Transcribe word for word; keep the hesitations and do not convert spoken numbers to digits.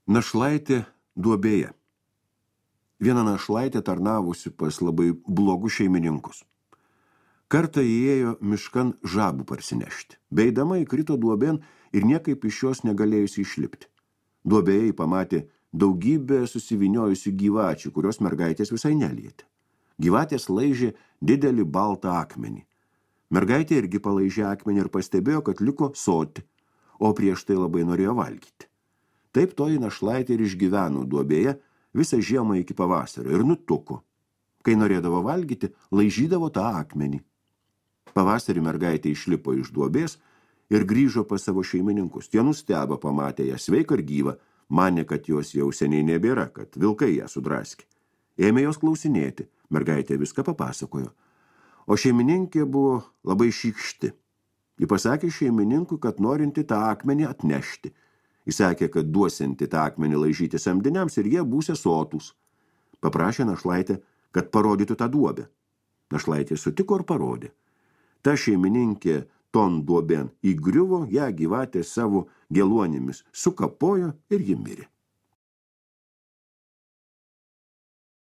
Našlaitė duobėje. Viena našlaitė tarnavusi pas labai blogus šeimininkus. Kartą įėjo miškan žabų parsinešti. Beidama įkrito duobėn ir niekaip iš jos negalėjusi išlipti. Duobėje pamatė daugybę susiviniojusių gyvačių, kurios mergaitės visai nelietė. Gyvatės laižė didelį baltą akmenį. Mergaitė irgi palaižė akmenį ir pastebėjo, kad liko soti, o prieš tai labai norėjo valgyti. Taip toji našlaitė ir išgyveno duobėje visą žiemą iki pavasario ir nutuko. Kai norėdavo valgyti, laižydavo tą akmenį. Pavasarį mergaitė išlipo iš duobės ir grįžo pas savo šeimininkus. Tie nustebo pamatę ją sveiką ir gyvą, manė, kad jos jau seniai nebėra, kad vilkai ją sudraskė. Ėmė jos klausinėti, mergaitė viską papasakojo. O šeimininkė buvo labai šykšti. Ji pasakė šeimininkui, kad norinti tą akmenį atnešti. Jis sakė, kad duosinti tą akmenį laižyti samdiniams ir jie būsė sotus. Paprašė našlaitę, kad parodytų tą duobę. Našlaitė sutiko ir parodė. Ta šeimininkė ton duobėn įgriuvo, ją gyvatė savo geluonimis sukapojo ir ji mirė.